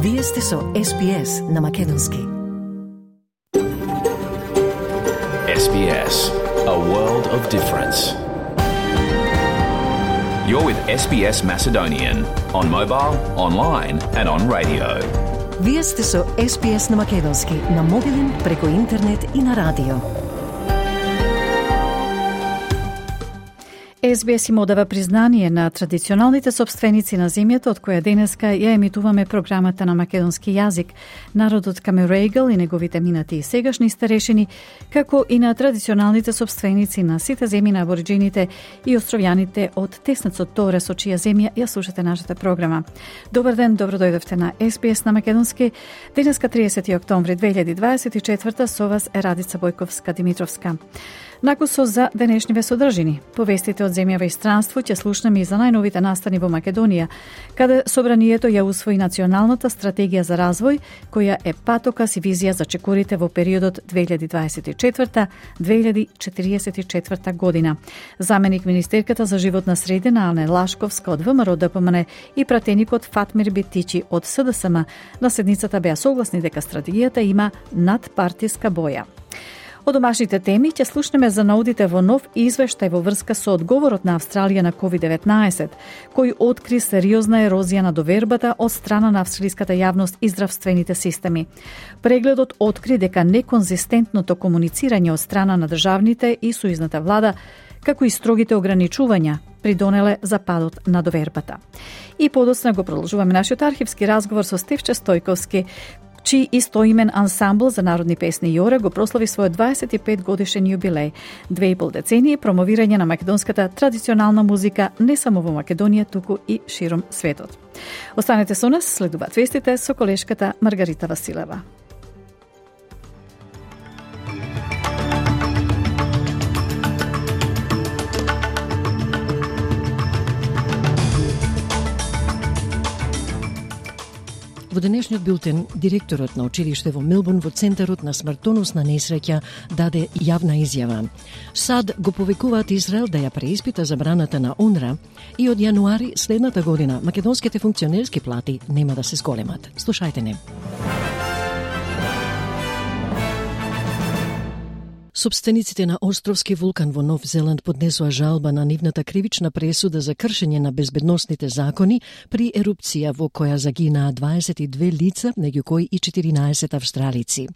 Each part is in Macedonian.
Вие сте со SBS на Македонски. SBS, a world of difference. You're with SBS Macedonian on mobile, online and on radio. Вие сте со SBS на Македонски на мобилен, преку интернет и на радио. SBS им одава признание на традиционалните собственици на земјата, од која денеска ја емитуваме програмата на македонски јазик, народот Камерегал и неговите минати и сегашни старешини, како и на традиционалните собственици на сите земји на абориджините и островјаните од теснецот Торе, со чија земја ја слушате нашата програма. Добар ден, добро дојдовте на SBS на македонски. Денеска 30 октомври 2024 со вас е Радица Бојковска-Димитровска. Накусо за денешниве содржини. Повестите од земјава и странство ќе слушнеме и за најновите настани во Македонија, каде собранието ја усвои националната стратегија за развој, која е патокас и визија за чекорите во периодот 2024-2044 година. Заменик министерката за животна средина Ане Лашковска од ВМРО ДПМН и пратеникот Фатмир Бетичи од СДСМ на седницата беа согласни дека стратегијата има надпартиска боја. Од домашните теми ќе слушнеме за наудите во нов извештај во врска со одговорот на Австралија на COVID-19, кој откри сериозна ерозија на довербата од страна на австралиската јавност и здравствените системи. Прегледот откри дека неконзистентното комуницирање од страна на државните и сојузната влада, како и строгите ограничувања, придонеле за падот на довербата. И подоцна го продолжуваме нашиот архивски разговор со Стефче Стојковски, чиј истоимен ансамбл за народни песни Јора го прослави својот 25 годишен јубилеј, 2,5 децении промовирање на македонската традиционална музика не само во Македонија, туку и широм светот. Останете со нас, следуваат вестите со колешката Маргарита Василева. Во денешниот билтен, директорот на училиште во Мелбурн во центарот на смртоносна несреќа даде јавна изјава. САД го повикуваат Израел да ја преиспита забраната на УНРА и од јануари следната година македонските функционерски плати нема да се зголемат. Слушајте не. Собствениците на островски вулкан во Нов Зеланд поднесоа жалба на нивната кривична пресуда за кршење на безбедносните закони при ерупција во која загинаа 22 лица, меѓу кои и 14 австралици.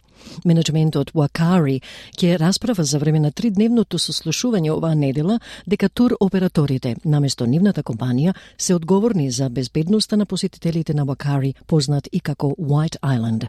Менеджментот Wakari ќе расправа за време на 3-дневното сослушување оваа недела дека тур операторите, наместо нивната компанија, се одговорни за безбедноста на посетителите на Wakari, познат и како White Island.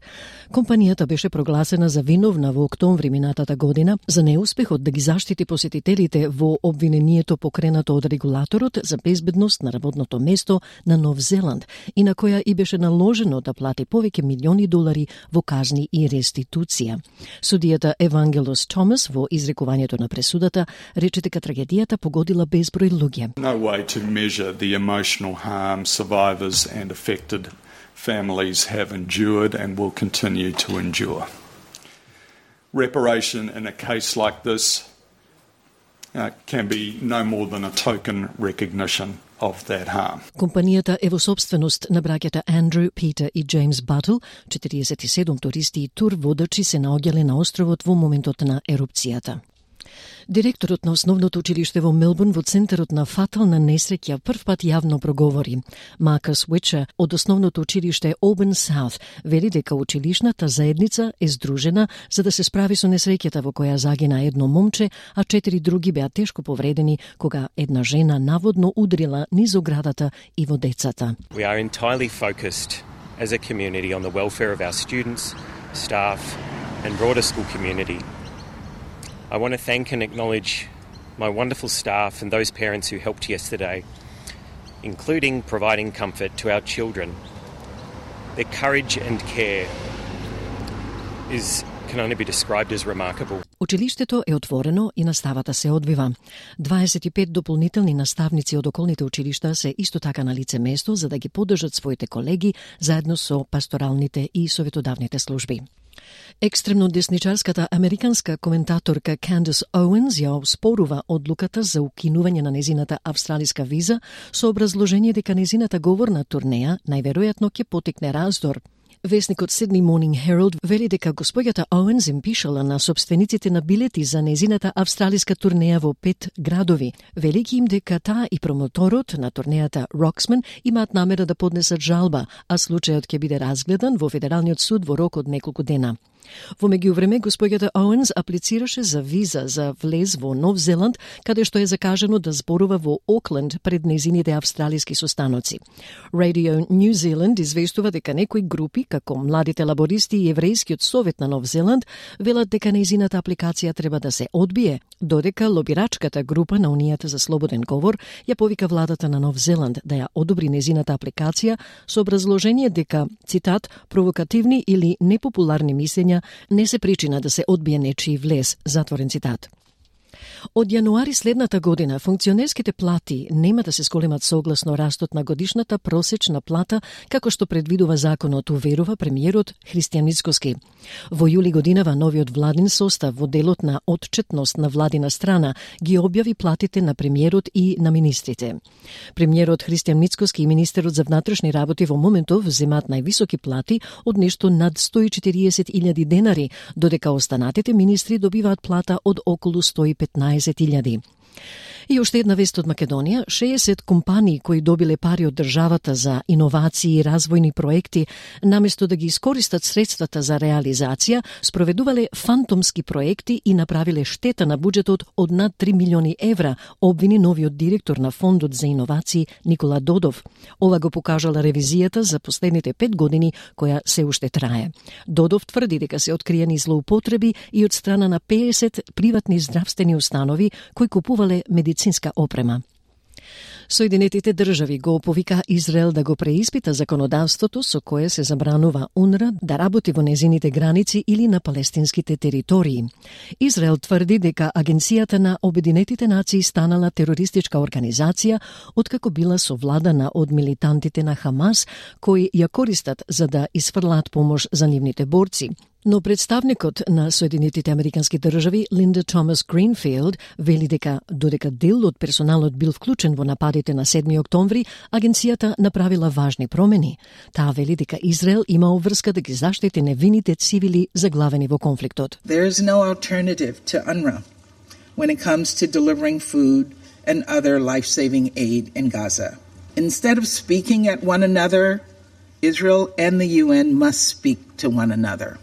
Компанијата беше прогласена за виновна во октомври минатата година за неуспехот да ги заштити посетителите во обвинението покренато од регулаторот за безбедност на работното место на Нов Зеланд и на која и беше наложено да плати повеќе милиони долари во казни и реституција. Судијата Евангелос Томас во изрекувањето на пресудата рече дека трагедијата погодила безброј луѓе. No way to measure the emotional harm survivors and affected families have endured and will continue to endure. Reparation in a case like this can be no more than a token recognition of that harm. Компанијата е во собственост на браќата Андрю, Питер и Джеймс Батл. 47 туристи и тур водачи се наоѓале на островот во моментот на ерупцијата. Директорот на основното училиште во Мелбурн во центарот на фатална несреќа првпат јавно проговори. Маркус Уичер од основното училиште Auburn South вели дека училишната заедница е здружена за да се справи со несреќата во која загина едно момче, а 4 други беа тешко повредени кога една жена наводно удрила низ оградата и во децата. We are entirely focused as a community on the welfare of our students, staff and broader school community. I want to thank and acknowledge my wonderful staff and those parents who helped yesterday, including providing comfort to our children. Their courage and care can only be described as remarkable. Училиштето е отворено и наставата се одвива. 25 дополнителни наставници од околните училишта се исто така на лице место за да ги поддржат своите колеги заедно со пасторалните и советодавните служби. Екстремно десничарската американска коментаторка Candace Owens ја оспорува одлуката за укинување на незината австралиска виза со образложение дека незината говорна турнеја најверојатно ќе потекне раздор. Весникот Sydney Morning Herald вели дека госпоѓата Оуенс им пишала на собствениците на билети за незината австралиска турнеја во 5 градови. Велики им дека таа и промоторот на турнејата Roxman имаат намера да поднесат жалба, а случајот ќе биде разгледан во Федералниот суд во рок од неколку дена. Во меѓувреме, госпоѓата Оуенс аплицираше за виза за влез во Нов Зеланд, каде што е закажано да зборува во Окленд пред незините австралиски состаноци. Radio New Zealand известува дека некои групи, како младите лабористи и Еврејскиот совет на Нов Зеланд, велат дека незината апликација треба да се одбие, додека лобирачката група на Унијата за слободен говор ја повика владата на Нов Зеланд да ја одобри незината апликација со образложение дека, цитат, провокативни или непопуларни мислења не се причина да се одбие нечии влез, затворен цитат. Од јануари следната година функционерските плати нема да се зголемат согласно растот на годишната просечна плата, како што предвидува законот, уверува премиерот Христијан Мицкоски. Во јули годинава новиот владин состав во делот на отчетност на владина страна ги објави платите на премиерот и на министрите. Премиерот Христијан Мицкоски и министерот за внатрешни работи во моментов земаат највисоки плати од нешто над 140.000 денари, додека останатите министри добиваат плата од околу 115.000. И уште една вест од Македонија, 60 компании кои добиле пари од државата за иновации и развојни проекти, наместо да ги искористат средствата за реализација, спроведувале фантомски проекти и направиле штета на буџетот од над 3 милиони евра, обвини новиот директор на Фондот за иновации Никола Додов. Ова го покажала ревизијата за последните 5 години, која се уште трае. Додов тврди дека се откриени злоупотреби и од страна на 50 приватни здравствени установи кои купувале медицинска опрема. Соединетите држави го повика Израел да го преиспита законодавството со кое се забранува УНРА да работи во незините граници или на палестинските територии. Израел тврди дека Агенцијата на Обединетите нации станала терористичка организација откако била совладана од милитантите на Хамас, кои ја користат за да изфрлаат помош за нивните борци. Но представникот на Соединетите Американски држави Линда Томас Гринфилд вели дека додека дел од персоналот бил вклучен во нападите на 7 октомври, агенцијата направила важни промени. Таа вели дека Израел има обврска да ги заштити невините цивили заглавени во конфликтот. There is no alternative to UNRWA when it comes to delivering food and other life-saving aid in Gaza. Instead of speaking at one another, Israel and the UN must speak to one another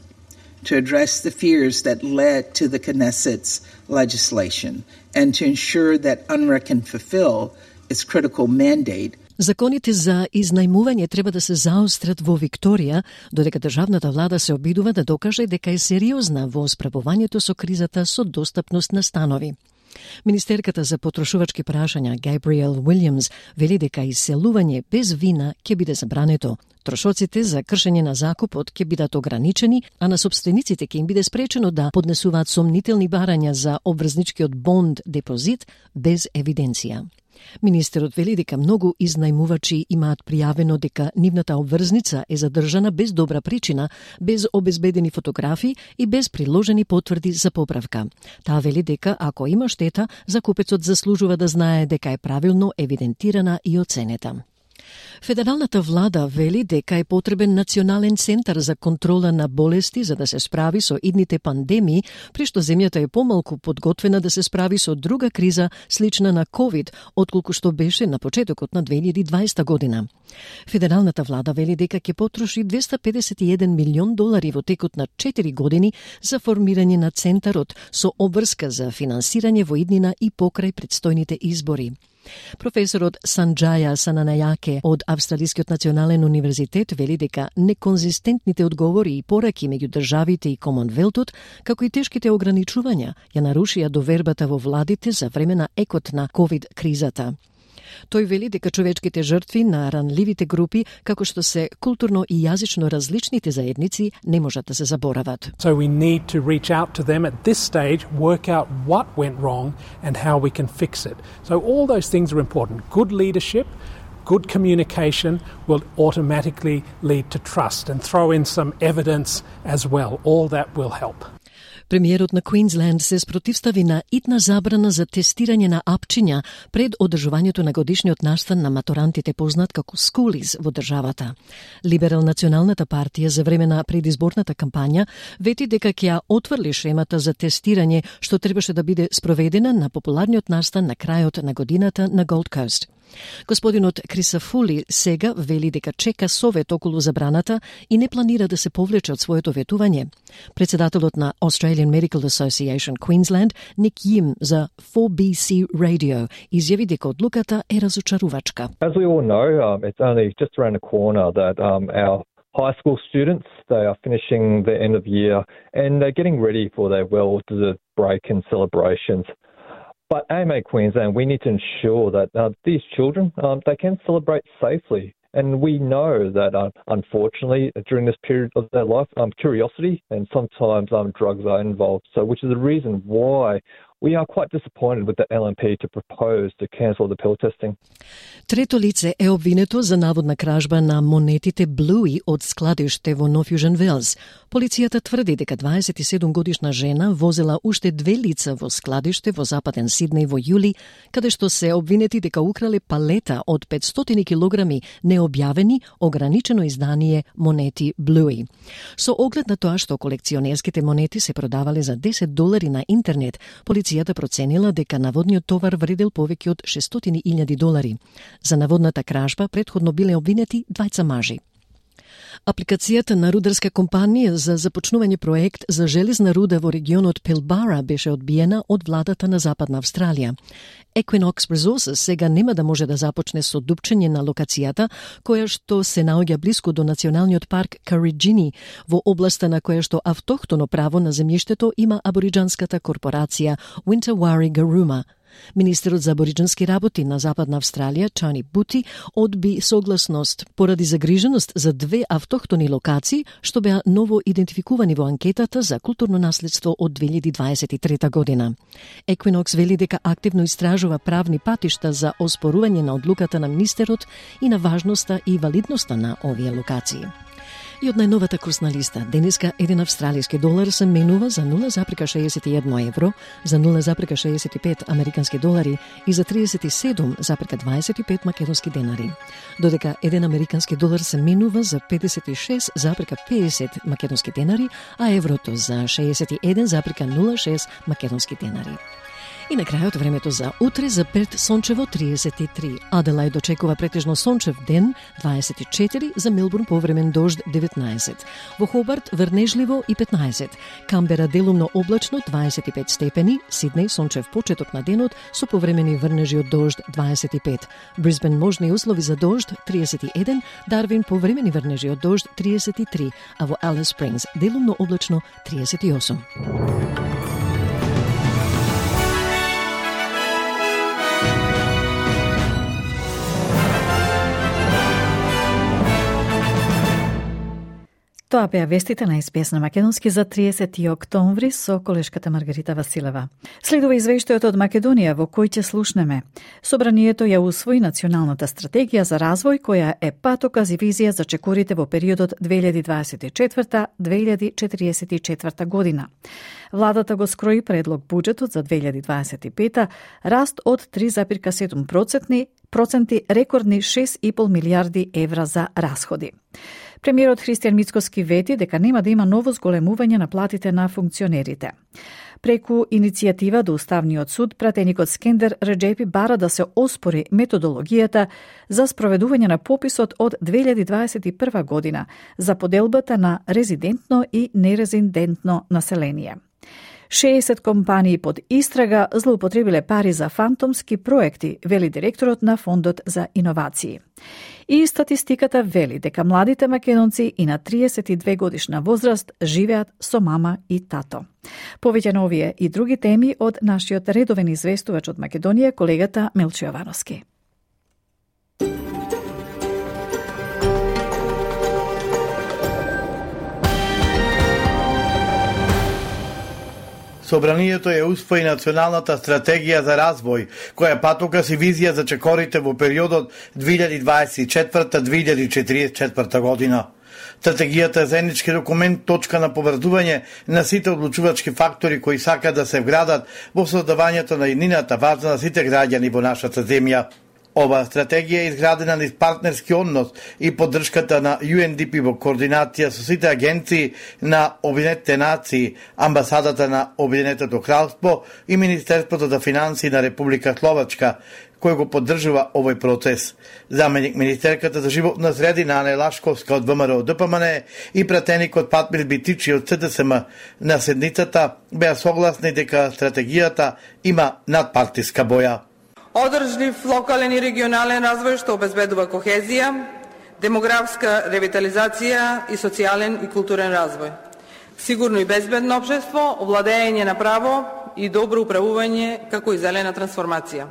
to address the fears that led to the Knesset's legislation and to ensure that UNRWA can fulfill its critical mandate. Законите за изнајмување треба да се заострат во Викторија, додека државната влада се обидува да докаже дека е сериозна во справувањето со кризата со достапност на станови. Министерката за потрошувачки прашања Габриел Уилјамс вели дека иселување без вина ќе биде забрането. Трошоците за кршење на закупот ќе бидат ограничени, а на собствениците ќе им биде спречено да поднесуваат сомнителни барања за обврзничкиот бонд депозит без евиденција. Министерот вели дека многу изнајмувачи имаат пријавено дека нивната обврзница е задржана без добра причина, без обезбедени фотографии и без приложени потврди за поправка. Таа вели дека ако има штета, закупецот заслужува да знае дека е правилно евидентирана и оценета. Федералната влада вели дека е потребен национален центар за контрола на болести за да се справи со идните пандемии, при што земјата е помалку подготвена да се справи со друга криза слична на COVID, отколку што беше на почетокот на 2020 година. Федералната влада вели дека ќе потроши $251 милион во текот на 4 години за формирање на центарот со обврска за финансирање во иднина и покрај предстојните избори. Професорот Санџаја Сананајаке од Австралискиот национален универзитет вели дека неконзистентните одговори и пораки меѓу државите и Комонвелтот, како и тешките ограничувања, ја нарушија довербата во владите за време на екот на COVID-кризата. Тој вели дека човечките жртви на ранливите групи, како што се културно и јазично различните заедници, не можат да се заборават. So we need to reach out to them at this stage, work out what went wrong and how we can fix it. So all those things are important. Good leadership, good communication will automatically lead to trust, and throw in some evidence as well. All that will help. Премиерот на Квинсленд се спротивстави на итна забрана за тестирање на апчиња пред одржувањето на годишниот настан на матурантите, познат како скулиз во државата. Либерал-националната партија за време на предизборната кампања вети дека ќе ја отврли шемата за тестирање што требаше да биде спроведена на популарниот настан на крајот на годината на Голд Кост. Господинот Крисафули сега вели дека чека совет околу забраната и не планира да се повлече од своето ветување. Председателот на Australian Medical Association Queensland, Nick Yim, за 4BC Radio изјави дека одлуката е разочарувачка. As we all know, it's only just around the corner that our high school students, they are finishing the end of year and they're getting ready for their well-deserved break and celebrations. But AMA Queensland, we need to ensure that these children, they can celebrate safely. And we know that, unfortunately, during this period of their life, curiosity and sometimes drugs are involved. So, which is the reason why we are quite disappointed with the LNP to propose to cancel the pill testing. Трето лице е обвинето за наводна кражба на монетите Bluey од складиште во Нов Јужен Велс. Полицијата тврди дека 27-годишна жена возела уште 2 лица во складиште во западен Сиднеј во јули, каде што се обвинети дека украле палета од 500 килограми необјавени ограничено издание монети Bluey. Со оглед на тоа што колекционерските монети се продавале за $10 на интернет, полицијата проценила дека наводниот товар вредел повеќе од $600,000. За наводната кражба претходно биле обвинети 2 мажи. Апликацијата на рударска компанија за започнување проект за железна руда во регионот Пилбара беше одбиена од владата на Западна Австралија. Equinox Resources сега нема да може да започне со дупчење на локацијата, која што се наоѓа блиску до националниот парк Кариджини, во областа на која што автохтоно право на земјиштето има абориџанската корпорација Wintawari Garooma. Министерот за абориџански работи на Западна Австралија, Тони Бути, одби согласност поради загриженост за 2 автохтони локации, што беа ново идентификувани во анкетата за културно наследство од 2023 година. Equinox вели дека активно истражува правни патишта за оспорување на одлуката на министерот и на важноста и валидноста на овие локации. И од најновата курсна листа, денеска $1 австралиски долар се менува за 0,61 евро, за 0,65 американски долари и за 37,25 македонски денари. Додека 1 американски долар се менува за 56,50 македонски денари, а еврото за 61,06 македонски денари. И на крајот времето за утре за Перт сончево 33, Аделајд очекува претежно сончев ден 24, за Мелбурн повремен дожд 19, во Хобарт врнежливо и 15, Камбера делумно облачно 25 степени, Сиднеј сончев почеток на денот со повремени врнежи од дожд 25, Брисбен можни услови за дожд 31, Дарвин повремени врнежи од дожд 33, а во Алис Спрингс делумно облачно 38. Тоа беа вестите на СПС на Македонски за 30 октомври со колешката Маргарита Василева. Следува извештајот од Македонија во кој ќе слушнеме. Собранието ја усвои националната стратегија за развој која е патоказ и визија за чекорите во периодот 2024-2044 година. Владата го скрои предлог буџетот за 2025 раст од 3,7%, рекордни 6,5 милиарди евра за расходи. Премиерот Христијан Мицкоски вети дека нема да има ново зголемување на платите на функционерите. Преку иницијатива до Уставниот суд, пратеникот Скендер Реджепи бара да се оспори методологијата за спроведување на пописот од 2021 година за поделбата на резидентно и нерезидентно население. 60 компании под истрага злоупотребиле пари за фантомски проекти, вели директорот на Фондот за иновации. И статистиката вели дека младите македонци и на 32 годишна возраст живеат со мама и тато. Повеќе на овие и други теми од нашиот редовен известувач од Македонија, колегата Милчо Јовановски. Собранието ја усвои националната стратегија за развој, која е патоказ и визија за чекорите во периодот 2024-2044 година. Стратегијата е заеднички документ, точка на поврзување на сите одлучувачки фактори кои сакаат да се вградат во создавањето на еднината важна за сите граѓани во нашата земја. Оваа стратегија е изградена низ партнерски однос и поддршката на UNDP во координација со сите агенции на Обединетите нации, амбасадата на Обединетото кралство и Министерството за финансии на Република Словачка, кој го поддржува овој процес. Заменик министерката за животна средина Ана Лашковска од ВМРО ДПМН и пратеникот Фатмир Битичи од СДСМ на седницата беа согласни дека стратегијата има надпартиска боја. Одржлив локален и регионален развој што обезбедува кохезија, демографска ревитализација и социјален и културен развој. Сигурно и безбедно општество, овладење на право и добро управување како и зелена трансформација.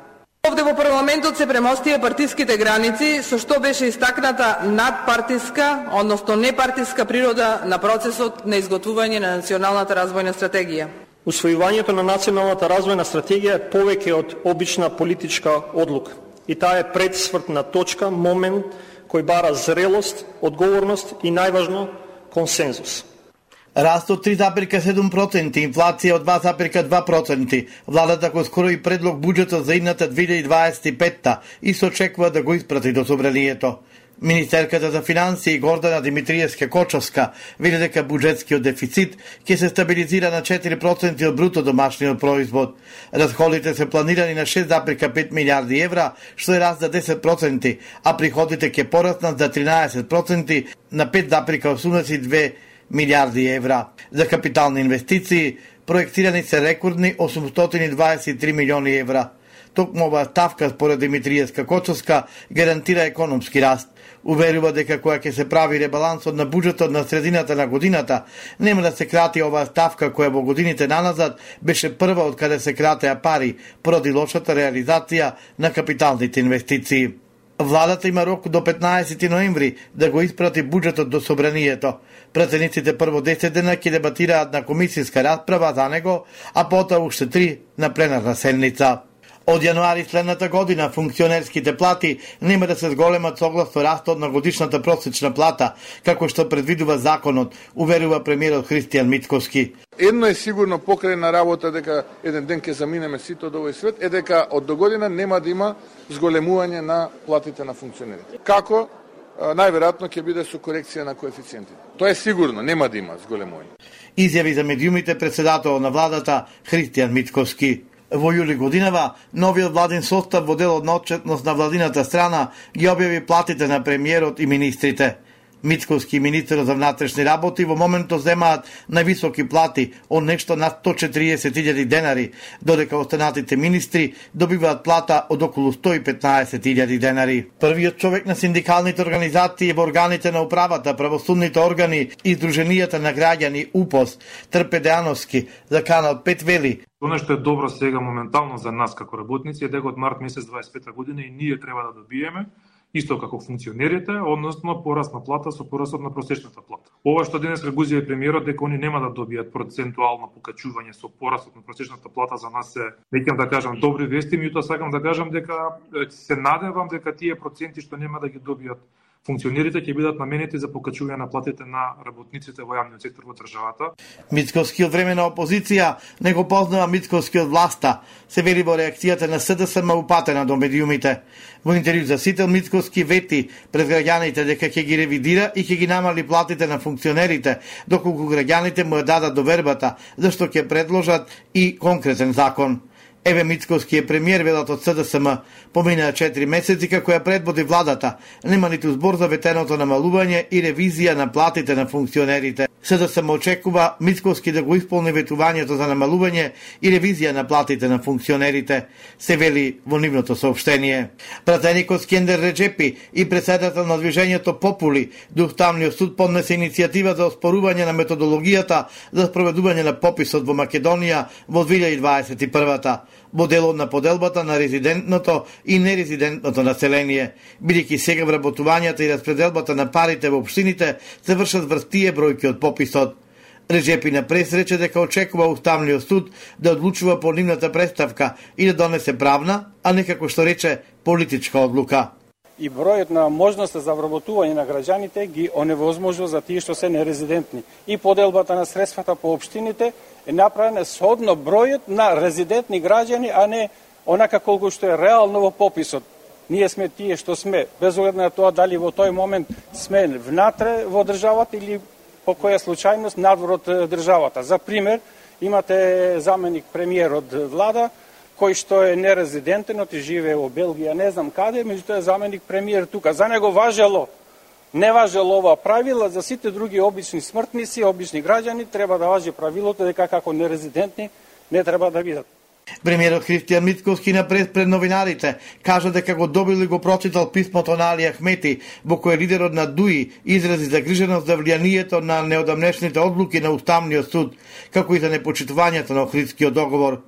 Овде во парламентот се премостија партиските граници, со што беше истакната надпартиска, односно непартиска природа на процесот на изготвување на националната развојна стратегија. Усвојувањето на националната развојна стратегија е повеќе од обична политичка одлука. И таа е предсвртна точка, момент кој бара зрелост, одговорност и најважно консензус. Раст од 3,7%, инфлација од 2,2%. Владата го скрои предлог буџетот за идната 2025 и се очекува да го испрати до собранието. Министерката за финансии Гордана Димитриевска-Кочовска вели дека буџетскиот дефицит ќе се стабилизира на 4% од бруто домашниот производ. Расходите се планирани на 6,5 милиарди евра, што е раст за 10%, а приходите ќе пораснат за 13% на 5,82 милиарди евра. За капитални инвестиции проектирани се рекордни 823 милиони евра. Токму оваа ставка според Димитриевска-Кочовска гарантира економски раст. Уверува дека кога ќе се прави ребалансот на буџетот на средината на годината, нема да се крати оваа ставка која во годините наназад беше прва од каде се кратеа пари поради лошата реализација на капиталните инвестиции. Владата има рок до 15 ноември да го испрати буџетот до собранието. Пратениците прво 10 дена ќе дебатираат на комисијска расправа за него, а потоа уште 3 на пленарна седница. Од јануари следната година функционерските плати нема да се зголемат согласно растот на годишната просечна плата, како што предвидува законот, уверува премиерот Христијан Мицковски. Едно е сигурно покрај на работа дека еден ден ќе заминеме сите од овој свет, е дека од догодина нема да има зголемување на платите на функционерите. Како? Најверојатно ќе биде со корекција на коефициентите. Тоа е сигурно, нема да има зголемување. Изјави за медиумите председател на владата Христијан Мицковски. Во јули годинава, новиот владин состав во делот на отчетност на владината страна ги објави платите на премиерот и министрите. Мицковски и министерот за внатрешни работи во моментот земаат највисоки плати од нешто над 140.000 денари, додека останатите министри добиваат плата од околу 115.000 денари. Првиот човек на синдикалните организации во органите на управата, правосудните органи и Сдруженијата на граѓани УПОС, Трпе Дејановски, за Канал 5 вели: Она што е добро сега моментално за нас како работници е дека од март месец 25 година и ние треба да добиеме исто како функционерите, односно пораст на плата со порастот на просечната плата. Ова што денес го изјави премиерот дека они нема да добијат процентуално покачување со порастот на просечната плата, за нас се, веќе да кажам, добри вести, меѓутоа сакам да кажам дека се надевам дека тие проценти што нема да ги добијат функционерите ќе бидат наменети за покачување на платите на работниците во јавниот сектор во државата. Мицковски од време на опозиција не го познава Мицковски од власта, се вели во реакцијата на СДСМ упатена до медиумите. Во интервју за Сител Мицковски вети пред граѓаните дека ќе ги ревидира и ќе ги намали платите на функционерите, доколку граѓаните му ја дадат довербата, зашто ќе предложат и конкретен закон. Еве Мицковски е премиер, велат од СДСМ. Поминаа 4 месеци како ја предводи владата. Нема ниту збор за ветеното намалување и ревизија на платите на функционерите. СДСМ очекува Мицковски да го исполни ветувањето за намалување и ревизија на платите на функционерите, се вели во нивното соопштение. Пратеникот Скендер Реджепи и председател на движењето Попули до Уставниот суд поднесе иницијатива за оспорување на методологијата за спроведување на пописот во Македонија во 2021-та. Во делот на поделбата на резидентното и нерезидентното население, бидејќи сега вработувањата и распределбата на парите во општините се вршат врз тие бројки од пописот. Реджепи на прес рече дека очекува Уставниот суд да одлучува по нивната представка и да донесе правна, а не како што рече политичка одлука. и бројот на можности за вработување на граѓаните ги оневозможува за тие што се нерезидентни. И поделбата на средствата по општините е направена сhodно бројот на резидентни граѓани, а не онака колку што е реално во пописот. Ние сме тие што сме, без оглед на тоа дали во тој момент сме внатре во државата или по која случајност надвор од државата. За пример, имате заменик премиер од влада, кој што е нерезидентен, оти живее во Белгија, не знам каде, меѓутоа е заменик премиер тука. За него не важело ова правила, за сите други обични смртници, обични граѓани, треба да важи правилото дека како нерезидентни не треба да бидат. Премиерот Христијан Мицковски на пред новинарите кажа дека го добил и го прочитал писмото на Али Ахмети, во кое лидерот на ДУИ изрази загриженост за влијанието на неодамнешните одлуки на Уставниот суд, како и за непочитувањето на Охридскиот договор.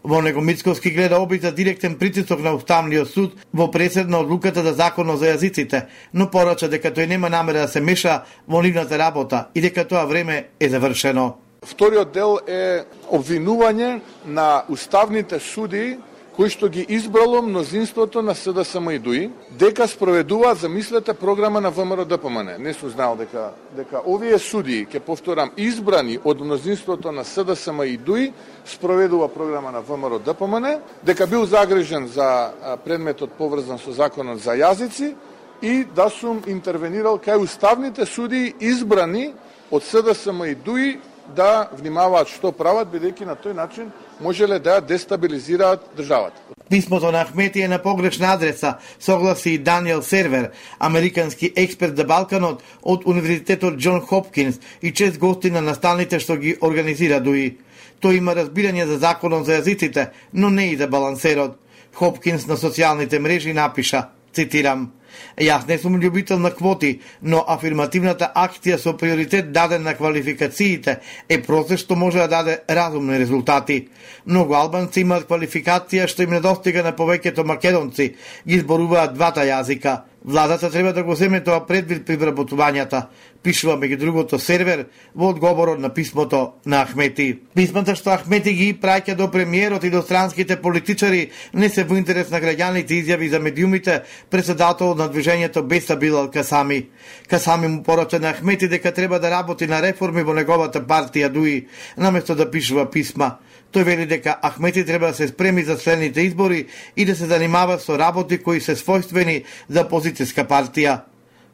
Во него Мицковски гледа обид за директен притисок на Уставниот суд во пресед на одлуката за законот за јазиците, но порача дека тој нема намера да се меша во нивната работа и дека тоа време е завршено. Вториот дел е обвинување на уставните суди кои што ги избрало мнозинството на СДСМ и ДУИ, дека спроведуваат, замислете, програма на ВМРО ДПМН. Не сум знал дека овие судии, ќе повторам, избрани од мнозинството на СДСМ и ДУИ, спроведува програма на ВМРО ДПМН, дека бил загрижен за предметот поврзан со законот за јазици и да сум интервенирал кај уставните судии избрани од СДСМ и ДУИ да внимаваат што прават, бидејќи на тој начин можеле да дестабилизираат државата. Писмото на Ахмети е на погрешна адреса, согласи и Даниел Сервер, американски експерт за Балканот од Универзитетот Џон Хопкинс и чест гости на настаните што ги организира ДУИ. Тој има разбирање за законот за јазиците, но не и за балансерот. Хопкинс на социјалните мрежи напиша, цитирам: "Јас не сум љубител на квоти, но афирмативната акција со приоритет даден на квалификациите е процес што може да даде разумни резултати. Многу албанци имаат квалификација што им недостига на повеќето македонци, ги зборуваат двата јазика. Владата треба да го земе тоа предвид при вработувањата", пишува меѓу другото Сервер во одговорот на писмото на Ахмети. Писмата што Ахмети ги праќа до премиерот и до странските политичари не се во интерес на граѓаните, изјави за медиумите председател на движењето Беса Билал Касами. Касами му порача на Ахмети дека треба да работи на реформи во неговата партија ДУИ, наместо да пишува писма. Тој вели дека Ахмети треба да се спреми за следните избори и да се занимава со работи кои се својствени за опозицијска партија.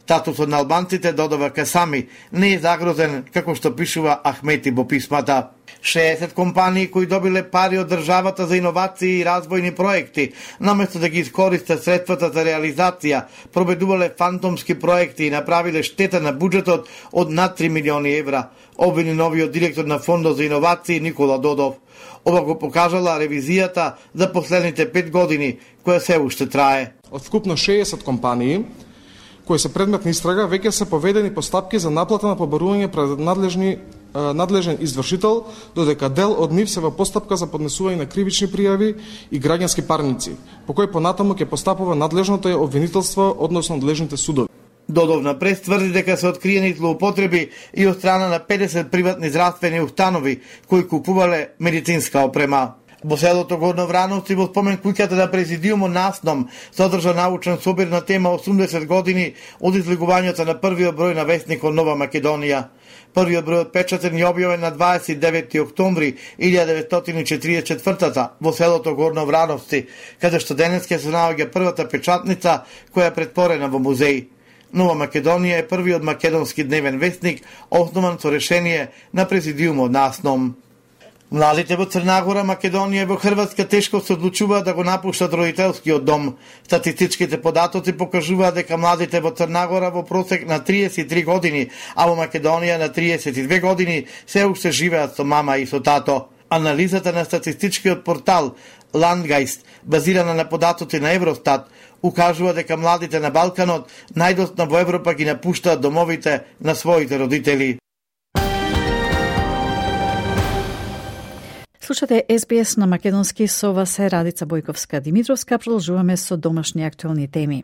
Статусот на албанците, додава Касами, не е загрозен, како што пишува Ахмети во писмата. 60 компании кои добиле пари од државата за иновации и развојни проекти, наместо да ги искористат средствата за реализација, проведувале фантомски проекти и направиле штета на буџетот од над 3 милиони евра, обвини новиот директор на Фондот за иновации Никола Додов. Ова го покажала ревизијата за последните 5 години, која се уште трае. Од вкупно 60 компании кои се предмет на истрага, веќе се поведени постапки за наплата на побарување пред надлежен извршител, додека дел од нив се во постапка за поднесување на кривични пријави и граѓански парници, по кој понатаму ќе постапува надлежното обвинителство, односно надлежните судови. Додов напред тврди дека се откриени злоупотреби и од страна на 50 приватни здравствени установи кои купувале медицинска опрема. Во селото Горно Врановци, во спомен куќата на президиумот на АСНОМ, се одржа научен собир на тема 80 години од излегувањето на првиот број на вестникот Нова Македонија. Првиот број отпечатен и објавен на 29 октомври 1944 во селото Горно Врановци, каде што денеска се наоѓа првата печатница која е претворена во музеј. Нова Македонија е првиот македонски дневен вестник, основан со решение на президиумот на АСНОМ. Младите во Црнагора, Македонија и во Хрватска тешко се одлучуваат да го напуштат родителскиот дом. Статистичките податоци покажуваат дека младите во Црнагора во просек на 33 години, а во Македонија на 32 години се уште живеат со мама и со тато. Анализата на статистичкиот портал Landgeist, базирана на податоци на Евростат, укажува дека младите на Балканот најдоцна во Европа ги напуштаат домовите на своите родители. Слушате SBS на македонски, со вас е Радица Бојковска-Димитровска. Продолжуваме со домашни актуелни теми.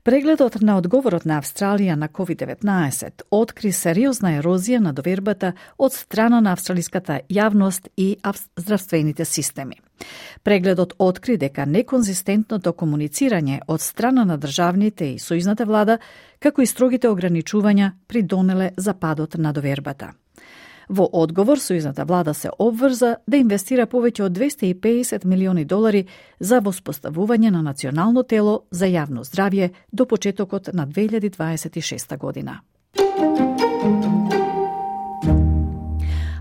Прегледот на одговорот на Австралија на COVID-19 откри сериозна ерозија на довербата од страна на австралиската јавност и здравствените системи. Прегледот откри дека неконзистентното комуницирање од страна на државните и сојузната влада, како и строгите ограничувања, придонеле за падот на довербата. Во одговор, сојузната влада се обврза да инвестира повеќе од $250 милиони за воспоставување на национално тело за јавно здравје до почетокот на 2026 година.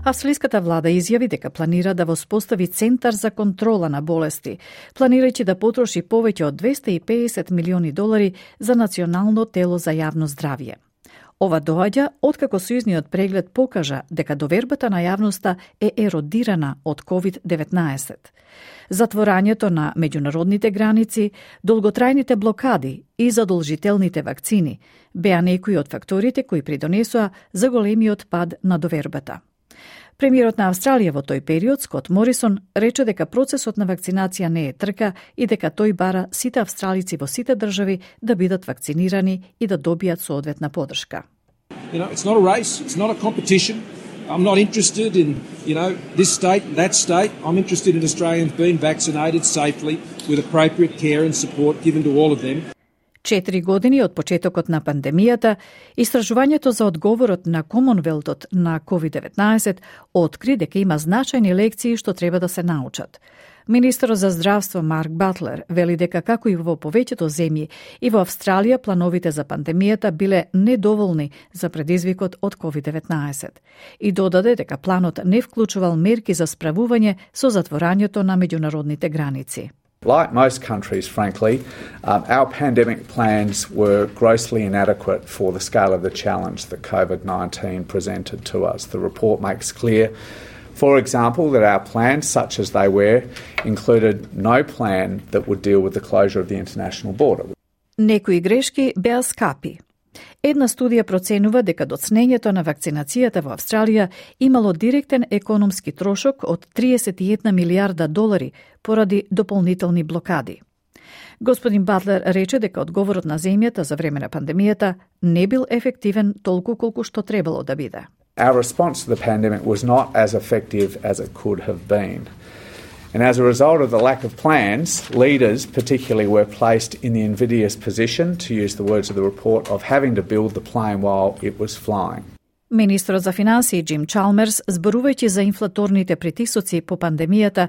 Австралиската влада изјави дека планира да воспостави Центар за контрола на болести, планирајќи да потроши повеќе од $250 милиони за национално тело за јавно здравје. Ова доаѓа откако сојузниот преглед покажа дека довербата на јавноста е еродирана од COVID-19. Затворањето на меѓународните граници, долготрајните блокади и задолжителните вакцини беа некои од факторите кои придонесоа за големиот пад на довербата. Премиерот на Австралија во тој период, Скот Морисон, рече дека процесот на вакцинација не е трка и дека тој бара сите австралици во сите држави да бидат вакцинирани и да добијат соодветна подршка. It's not a race, it's not a competition. I'm not interested in, this state, that state. I'm interested in Australians being vaccinated safely with appropriate care and support given to all of them. 4 години од почетокот на пандемијата, истражувањето за одговорот на Комонвелтот на COVID-19 откри дека има значајни лекции што треба да се научат. Министерот за здравство Марк Батлер вели дека како и во повеќето земји и во Австралија плановите за пандемијата биле недоволни за предизвикот од COVID-19 и додаде дека планот не вклучувал мерки за справување со затворањето на меѓународните граници. Like most countries, frankly, our pandemic plans were grossly inadequate for the scale of the challenge that COVID-19 presented to us. The report makes clear, for example, that our plans, such as they were, included no plan that would deal with the closure of the international border. Некои грешки беа скапи. Една студија проценува дека доцнењето на вакцинацијата во Австралија имало директен економски трошок од $31 милиарда поради дополнителни блокади. Господин Батлер рече дека одговорот на земјата за време на пандемијата не бил ефективен толку колку што требало да биде. Our response to the pandemic was not as effective as it could have been. And as a result of the lack of plans, leaders particularly were placed in the invidious position, to use the words of the report, of having to build the plane while it was flying. Министерот за финансии Джим Чалмерс, зборувајќи за инфлаторните притисоци по пандемијата,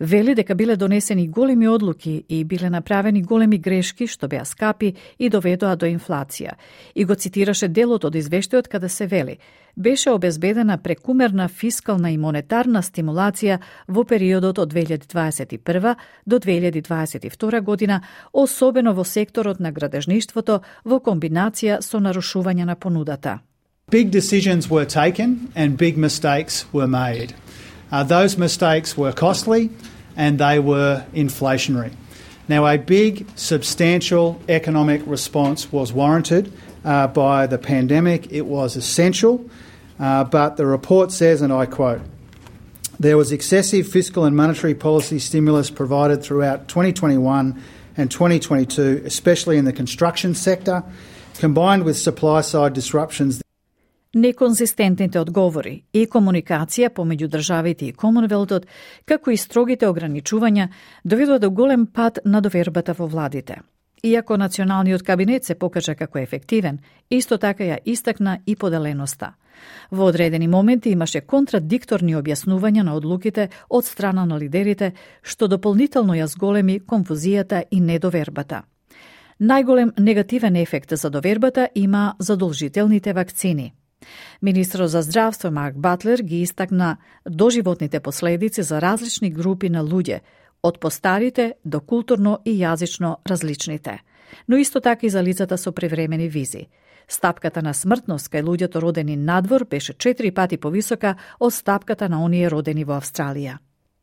вели дека биле донесени големи одлуки и биле направени големи грешки што беа скапи и доведоа до инфлација. И го цитираше делот од извештајот каде се вели: беше обезбедена прекумерна фискална и монетарна стимулација во периодот од 2021 до 2022 година, особено во секторот на градежништвото во комбинација со нарушување на понудата. Big decisions were taken and big mistakes were made. Those mistakes were costly and they were inflationary. Now, a big, substantial economic response was warranted by the pandemic. It was essential, but the report says, and I quote, there was excessive fiscal and monetary policy stimulus provided throughout 2021 and 2022, especially in the construction sector, combined with supply-side disruptions. Неконзистентните одговори и комуникација помеѓу државите и Комонвелтот, како и строгите ограничувања, доведоа до голем пад на довербата во владите. Иако националниот кабинет се покажа како ефективен, исто така ја истакна и поделеноста. Во одредени моменти имаше контрадикторни објаснувања на одлуките од страна на лидерите, што дополнително ја зголеми конфузијата и недовербата. Најголем негативен ефект за довербата има задолжителните вакцини. Министерот за здравство Марк Батлер ги истакна доживотните последици за различни групи на луѓе, од постарите до културно и јазично различните, но исто така и за лицата со превремени визи. Стапката на смртност кај луѓето родени надвор беше 4 пати повисока од стапката на оние родени во Австралија.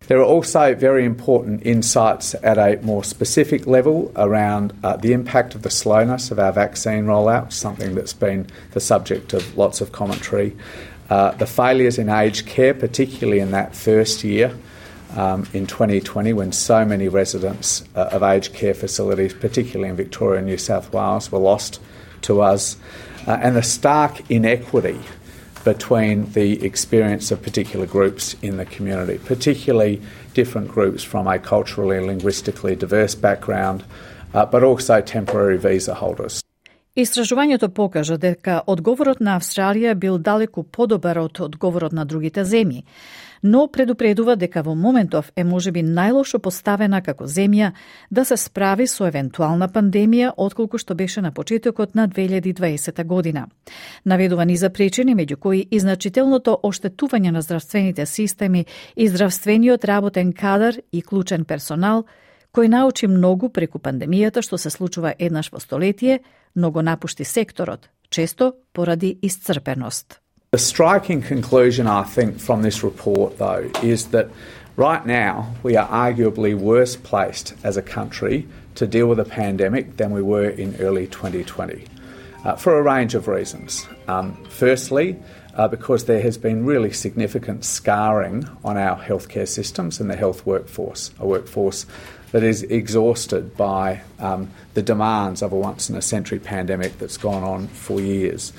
There are also very important insights at a more specific level around the impact of the slowness of our vaccine rollout, something that's been the subject of lots of commentary. The failures in aged care, particularly in that first year, in 2020 when so many residents of aged care facilities, particularly in Victoria and New South Wales, were lost to us, and the stark inequity between the experience of particular groups in the community, particularly different groups from a culturally and linguistically diverse background, but also temporary visa holders. Истражувањето покажа дека одговорот на Австралија бил далеку подобар од одговорот на другите земји, но предупредува дека во моментов е можеби најлошо поставена како земја да се справи со евентуална пандемија отколку што беше на почетокот на 2020 година. Наведува низа причини, меѓу кои и значителното оштетување на здравствените системи и здравствениот работен кадар и клучен персонал, кој научи многу преку пандемијата што се случува еднаш во столетие, но го напушти секторот, често поради исцрпеност. The striking conclusion, I think, from this report, though, is that right now we are arguably worse placed as a country to deal with a pandemic than we were in early 2020, for a range of reasons. Firstly, because there has been really significant scarring on our healthcare systems and the health workforce, a workforce that is exhausted by the demands of a once-in-a-century pandemic that's gone on for years.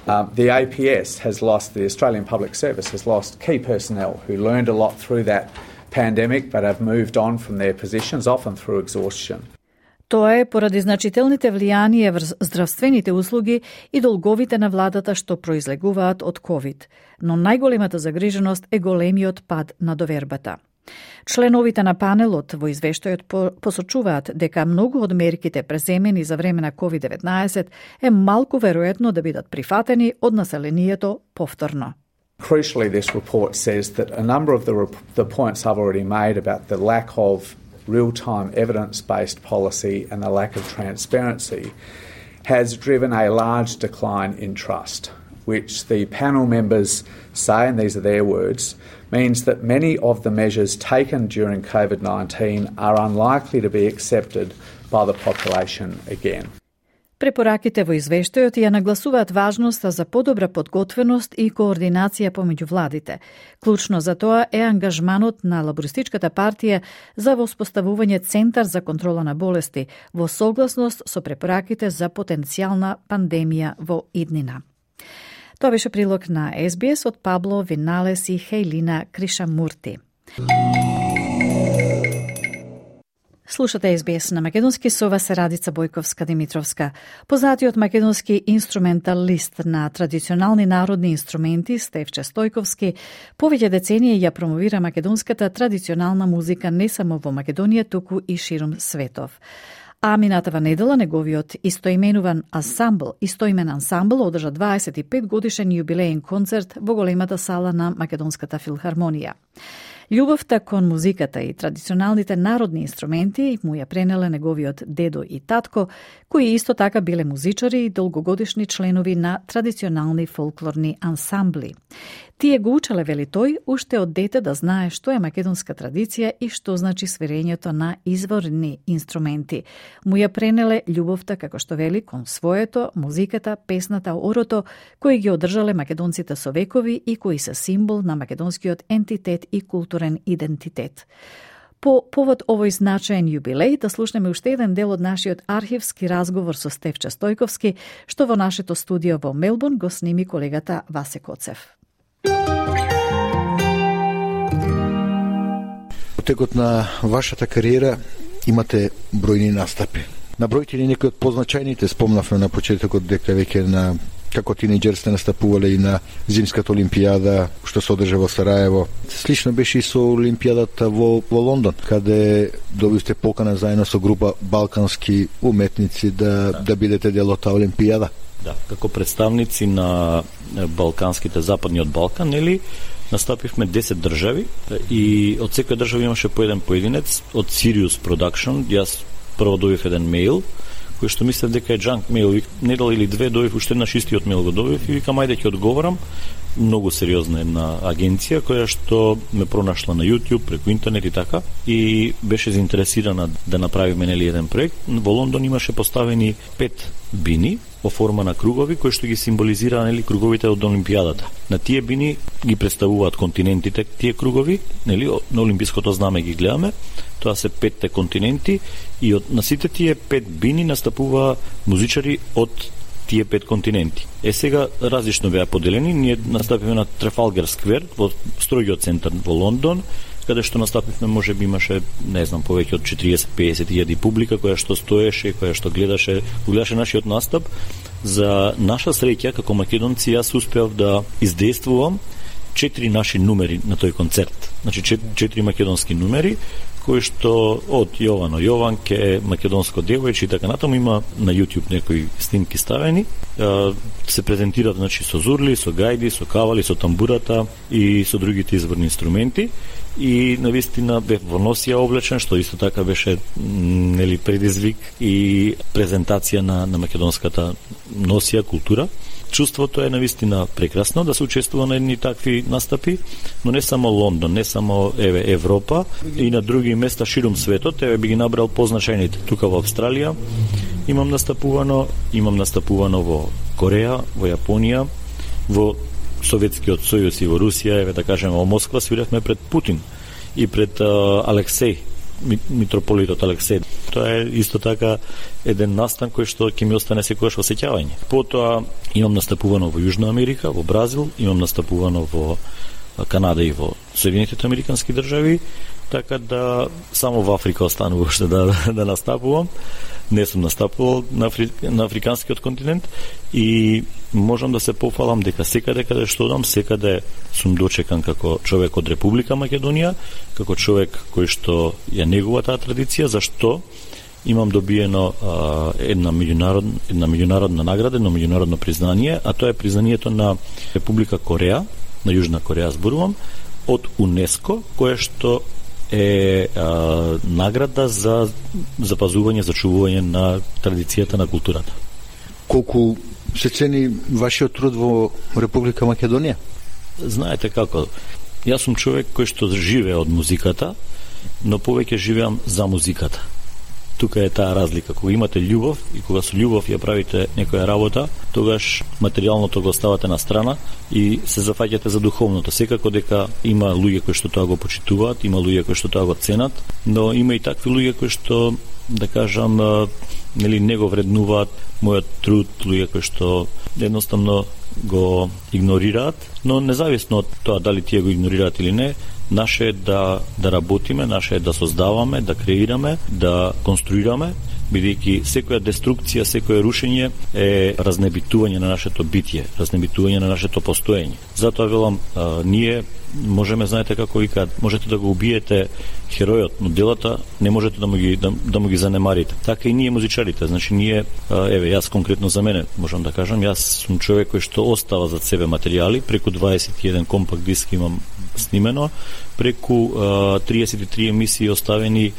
The APS has lost, the Australian Public Service has lost key personnel who learned a lot through that pandemic but have moved on from their positions, often through exhaustion. Тоа е поради значителните влијанија врз здравствените услуги и долговите на владата што произлегуваат од COVID, но најголемата загриженост е големиот пад на довербата. Членовите на панелот во извештајот посочуваат дека многу од мерките преземени за време на COVID-19 е малку веројатно да бидат прифатени од населението повторно. Crucially, this report says that a number of the points I've already made about the lack of real-time evidence-based policy and the lack of transparency has driven a large decline in trust, which the panel members say, and these are their words, means that many of the measures taken during COVID-19 are unlikely to be accepted by the population again. Препораките во извештајот ја нагласуваат важноста за подобра подготвеност и координација помеѓу владите. Клучно за тоа е ангажманот на Лабористичката партија за воспоставување Центар за контрола на болести во согласност со препораките за потенцијална пандемија во иднина. Тоа беше прилог на SBS од Пабло Виналес и Хейлина Кришамурти. Слушате SBS на македонски, со вас е Радица Бојковска-Димитровска. Познатиот македонски инструменталист на традиционални народни инструменти Стефче Стојковски повеќе децении ја промовира македонската традиционална музика не само во Македонија, туку и ширум светов. А минатава недела неговиот истоимен ансамбл одржа 25 годишен јубилеен концерт во големата сала на Македонската филхармонија. Љубовта кон музиката и традиционалните народни инструменти му ја пренеле неговиот дедо и татко, кои исто така биле музичари и долгогодишни членови на традиционални фолклорни ансамбли. Тие го учеле, вели тој, уште од дете да знае што е македонска традиција и што значи свирењето на изворни инструменти. Му ја пренеле љубовта, како што вели, кон своето, музиката, песната, орото, кои ги одржале македонците со векови и кои се символ на македонскиот ентитет и културен идентитет. По повод овој значаен јубилеј, да слушнеме уште еден дел од нашиот архивски разговор со Стефче Стојковски, што во нашето студио во Мелбурн го сними колегата Васе Коцев. Во текот на вашата кариера имате бројни настапи. Набројте ли некои од позначајните? Спомнавме на почетокот дека веќе на како тинејџер сте настапувале и на Зимската олимпијада што се одржа во Сараево. Слично беше и со олимпијадата во Лондон, каде добивте покана заедно со група балкански уметници да бидете дел од таа олимпијада. Да, како представници на балканските, западниот Балкан, нели, настапивме 10 држави и од секоја држава имаше по еден поединец од Sirius Production. Јас прво добив еден мејл кој што мислев дека е junk мејл, недел или две добив уште еднаш истиот мејл го добив и викам ајде ќе одговорам многу сериозна една агенција која што ме пронашла на YouTube преку интернет и така, и беше заинтересирана да направиме нели еден проект. Во Лондон имаше поставени 5 бини во форма на кругови кои што ги символизираа нели круговите од Олимпијадата. На тие бини ги представуваат континентите, тие кругови, нели на олимпиското знаме ги гледаме. Тоа се 5 континенти и на сите тие 5 бини настапува музичари од тие 5 континенти. Сега различно беа поделени, ние настапивме на Трафалгар сквер во строгиот центар во Лондон, каде што настапивме, може би имаше, не знам, повеќе од 40-50 илјади публика која што стоеше, која што гледаше нашиот настап. За наша среќа како македонци јас успеав да издействувам 4 наши numeri на тој концерт. Значи 4 македонски numeri кои што од Јовано Јованке, македонско девојче и така натаму, има на YouTube некои снимки ставени. Се презентираат значи со зурли, со гајди, со кавали, со тамбурата и со другите изворни инструменти. И навистина бев во носија облечен, што исто така беше нели предизвик и презентација на македонската носија, култура. Чувството е навистина прекрасно да се учествува на едни такви настапи, но не само Лондон, не само Европа, и на други места ширум светот. Би ги набрал позначајните. Тука во Австралија имам настапувано во Кореја, во Јапонија, во Советскиот сојуз и во Русија, да кажеме во Москва свиревме пред Путин и пред Алексеј, митрополитот Алексеј. Тоа е исто така еден настан кој што ќе ми остане секогаш во сеќавање. Потоа имам настапувано во Јужна Америка, во Бразил, имам настапувано во Канада и во Соединетите Американски држави, така да само во Африка останува уште да настапувам. Не сум настапувал на африканскиот континент и можам да се пофалам дека секаде каде што одам, секаде сум дочекан како човек од Република Македонија, како човек кој што ја негува таа традиција, зашто имам добиено една меѓународна награда, едно меѓународно признание, а тоа е признанието на Република Кореја, на Јужна Кореја зборувам, од УНЕСКО, кое што е награда за запазување, зачувување на традицијата на културата. Колку се цени вашиот труд во Република Македонија? Знаете како, јас сум човек кој што живее од музиката, но повеќе живеам за музиката. Тука е таа разлика. Кога имате љубов и кога со љубов ја правите некоја работа, тогаш материјалното го оставате на страна и се зафаќате за духовното. Секако дека има луѓе кои што тоа го почитуваат, има луѓе кои што тоа го ценат, но има и такви луѓе кои што, да кажам, нели не го вреднуваат мојот труд, луѓе кои што едноставно го игнорираат, но независно од тоа дали тие го игнорираат или не, наше е да работиме, наше е да создаваме, да креираме, да конструираме, бидејќи секоја деструкција, секое рушење е разнебитување на нашето битие, разнебитување на нашето постоење. Затоа велам, ние можеме, знаете како викаат, можете да го убиете херојот, но делата не можете да му ги занемарите. Така и ние музичарите, значи ние, јас конкретно за мене, можам да кажам, јас сум човек кој што остава зад себе материјали, преку 21 компакт диск имам снимено, преку 33 емисии оставени,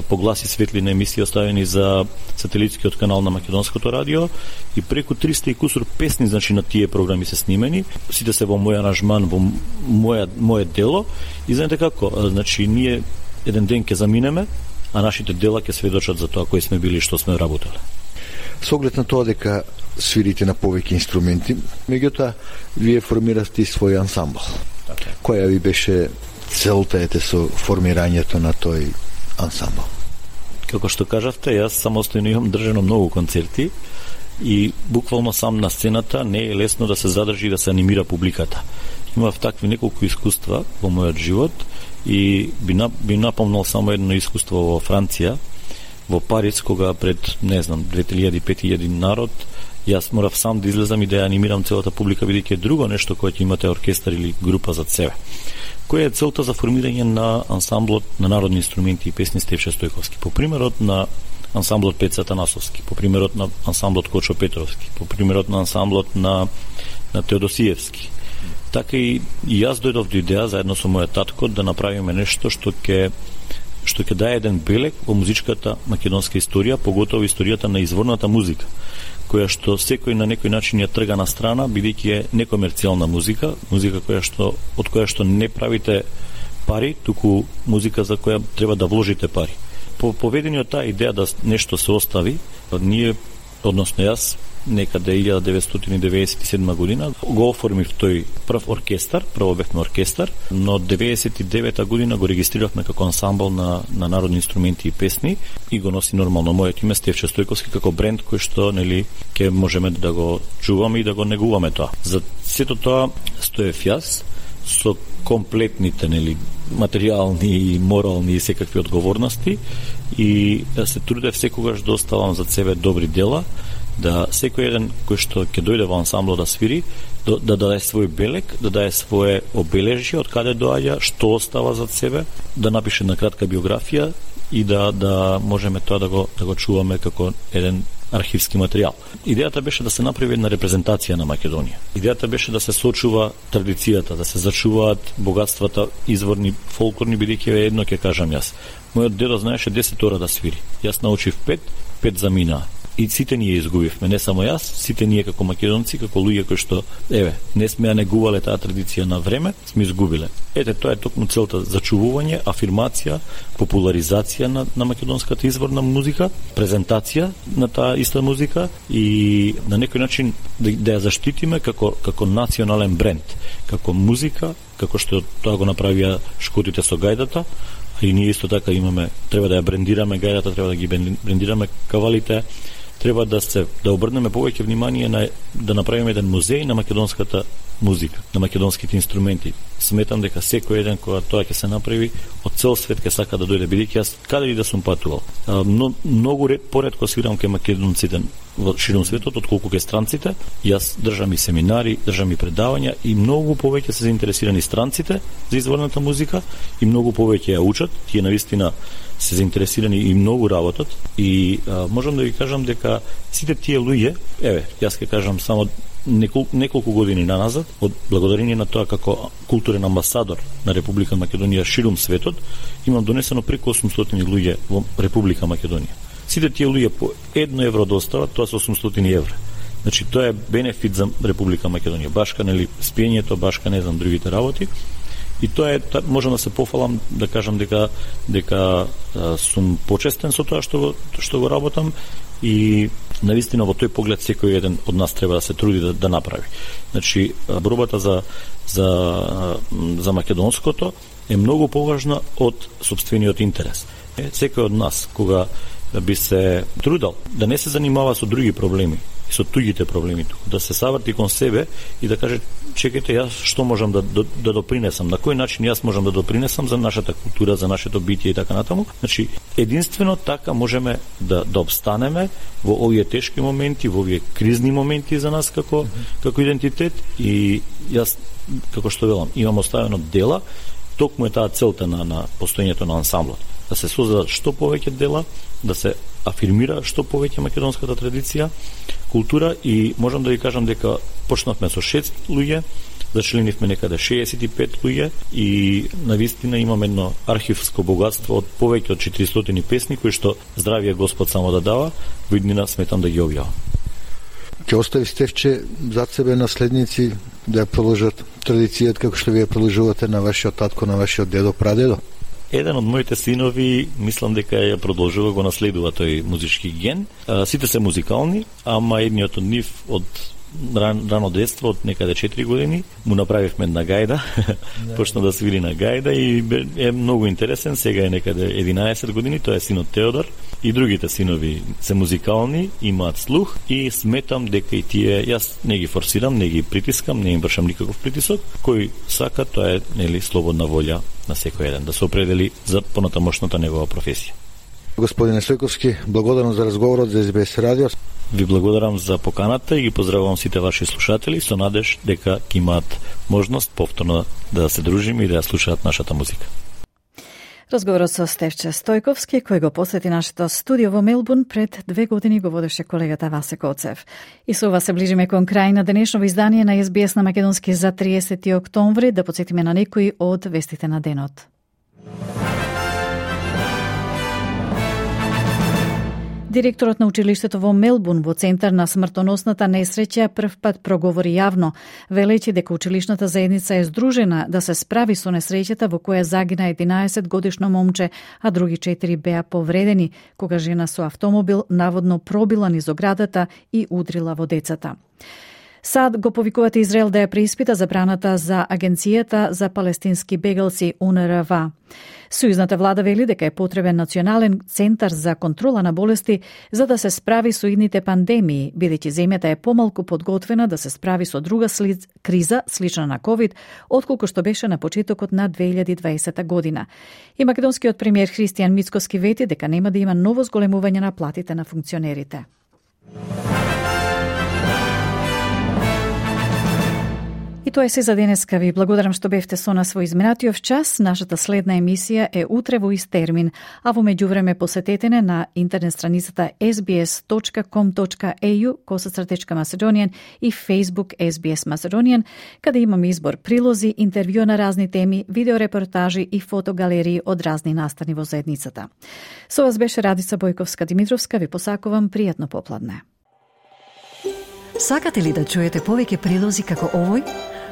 по глас и светлина емисии оставени за сателитскиот канал на Македонското радио и преку 300 и кусур песни, значи на тие програми се снимени, сите се во мој аранжман, во моје дело и знаете како, значи ние еден ден ќе заминеме, а нашите дела ќе сведочат за тоа кои сме били и што сме работеле. Со оглед на тоа дека свирите на повеќе инструменти, меѓутоа вие формирате свој ансамбл. Која ви беше целта со формирањето на тој ансамбл? Како што кажавте, јас самостојно имам држано многу концерти и буквално сам на сцената не е лесно да се задржи и да се анимира публиката. Имав такви неколку искуства во мојот живот и би напомнал само едно искуство во Франција, во Париз, кога пред, не знам, 2000-5000 народ, јас морав сам да излезам и да ја анимирам целата публика, бидејќи е друго нешто кое ќе имате оркестар или група зад себе. Која е целта за формирање на ансамблот на народни инструменти и песни Стефче Стојковски? По примерот на ансамблот Пеца Танасовски, по примерот на ансамблот Кочо Петровски, по примерот на ансамблот на Теодосиевски. Така и јас дојдов до идеја заедно со мојот татко да направиме нешто што ќе даде еден белег во музичката македонска историја, поготово историјата на изворната музика, која што секој на некој начин ја трга на страна, бидејќи е некомерцијална музика од која што не правите пари, туку музика за која треба да вложите пари. По поведениот таа идеја да нешто се остави, ние, односно јас, некаде 1997 година го оформив тој прв оркестар, прво бевме оркестар, но 99 година го регистриравме како ансамбл на народни инструменти и песни и го носи нормално моето име Стефче Стојковски како бренд кој што ќе можеме да го чуваме и да го негуваме тоа. За сето тоа стоев јас со комплетните материјални и морални и секакви одговорности и се трудев секогаш да оставам за себе добри дела, да секој еден кој што ќе дојде во ансамбло да свири, да даде свој белег, да даде свое обележје, од каде доаѓа, што остава зад себе, да напише на кратка биографија и да можеме тоа да го чуваме како еден архивски материјал. Идејата беше да се направи една репрезентација на Македонија. Идејата беше да се сочува традицијата, да се зачуваат богатствата изворни, фолклорни, бидејќи едно ќе кажам јас. Мојот дедо знаеше 10 ора да свири. Јас научив 5 заминаа. И сите ние изгубивме, не само јас, сите ние како македонци, како луѓе кои што, не сме ја негувале таа традиција на време, сме изгубиле. Тоа е токму целта зачувување, афирмација, популаризација на македонската изворна музика, презентација на таа иста музика и на некој начин да ја заштитиме како национален бренд, како музика, како што тоа го направија Шкотите со гајдата, и ние исто така треба да ја брендираме гајдата, треба да ги брендираме кавалите, треба да обрнеме повеќе внимание да направиме еден музеј на македонската музика, на македонските инструменти. Сметам дека секој еден кога тоа ќе се направи, од цел свет ќе сака да дојде, бидејќи јас каде и да сум патувал. Многу поретко свирам кај македонците во широм светот, отколку кај странците. Јас држам и семинари, држам и предавања и многу повеќе се заинтересирани странците за изворната музика и многу повеќе ја учат. Тие навистина се заинтересирани и многу работат и можам да ви кажам дека сите тие луѓе, јас ќе кажам само неколку години наназад, од благодарение на тоа како културен амбасадор на Република Македонија широм светот, имам донесено преку 800 луѓе во Република Македонија. Сите тие луѓе по 1 евро достават, тоа се 800 евра. Значи тоа е бенефит за Република Македонија. Башка спиењето, башка другите работи. И тоа можам да се пофалам да кажам дека сум почестен со тоа што го работам и навистина во тој поглед секој еден од нас треба да се труди да направи. Значи борбата за македонското е многу поважна од сопствениот интерес. Секој од нас кога би се трудал да не се занимава со други проблеми и со туѓите проблеми, да се savрти кон себе и да каже чекајте, јас што можам да допринесам, на кој начин јас можам да допринесам за нашата култура, за нашето битие и така натаму. Значи, единствено така можеме да обстанеме во овие тешки моменти, во овие кризни моменти за нас како идентитет и јас, како што велам, имам оставено дела, токму е таа целта на постоењето на ансамблот. Да се создадат што повеќе дела, да се афирмира што повеќе македонската традиција, култура и можам да ви кажам дека почнавме со 6 луѓе, зачленивме некаде 65 луѓе и навистина имаме едно архивско богатство од повеќе од 400 песни кои што здравие Господ само да дава, во иднина сметам да ги објавам. Ќе остави Стефче зад себе наследници да ја продолжат традицијата како што вие продолжувате на вашиот татко, на вашиот дедо, прадедо? Еден од моите синови, мислам дека ја продолжува, го наследува тој музички ген. Сите се музикални, ама едниот од нив од рано детство, од некаде 4 години, му направивме една гајда, почна да свири на гајда и е многу интересен, сега е некаде 11 години, тоа е синот Теодор. И другите синови се музикални, имаат слух и сметам дека и тие, јас не ги форсирам, не ги притискам, не им вршам никаков притисок, кој сака, тоа е слободна волја на секој еден, да се определи за понатамошната негова професија. Господине Стојковски, благодарам за разговорот за СБС радио. Ви благодарам за поканата и ги поздравувам сите ваши слушатели со надеж дека ќе имаат можност повторно да се дружиме и да ја слушаат нашата музика. Разговорот со Стефче Стојковски, кој го посети нашето студио во Мелбурн пред 2 години, го водеше колегата Васе Коцев. И со ова се ближиме кон крај на денешно издание на СБС на македонски за 30 октомври, да потсетиме на некои од вестите на денот. Директорот на училиштето во Мелбурн во центар на смртоносната несреќа прв пат проговори јавно, велејќи дека училишната заедница е здружена да се справи со несреќата во која загина 11-годишно момче, а други 4 беа повредени, кога жена со автомобил наводно пробила низ оградата и удрила во децата. САД го повикуваат Израел да ја преиспита забраната за Агенцијата за палестински бегалци УНРВА. Сојузната влада вели дека е потребен национален центар за контрола на болести за да се справи со идните пандемии, бидејќи земјата е помалку подготвена да се справи со друга криза слична на ковид, отколку што беше на почетокот на 2020 година. И македонскиот премиер Христијан Мицкоски вети дека нема да има ново зголемување на платите на функционерите. И тоа е се за денеска. Ви благодарам што бевте со нас во изминатиот час. Нашата следна емисија е утре во ист термин, а во меѓувреме посетете на интернет страницата sbs.com.au/Macedonian и Facebook SBS Macedonian, каде имаме избор прилози, интервју на разни теми, видеорепортажи и фотогалерии од разни настани во заедницата. Со вас беше Радица Бојковска-Димитровска. Ви посакувам пријатно попладне. Сакате ли да чуете повеќе прилози како овој?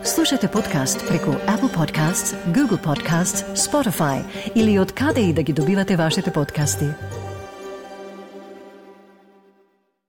Слушате подкаст преку Apple Podcasts, Google Podcasts, Spotify или од каде и да ги добивате вашите подкасти.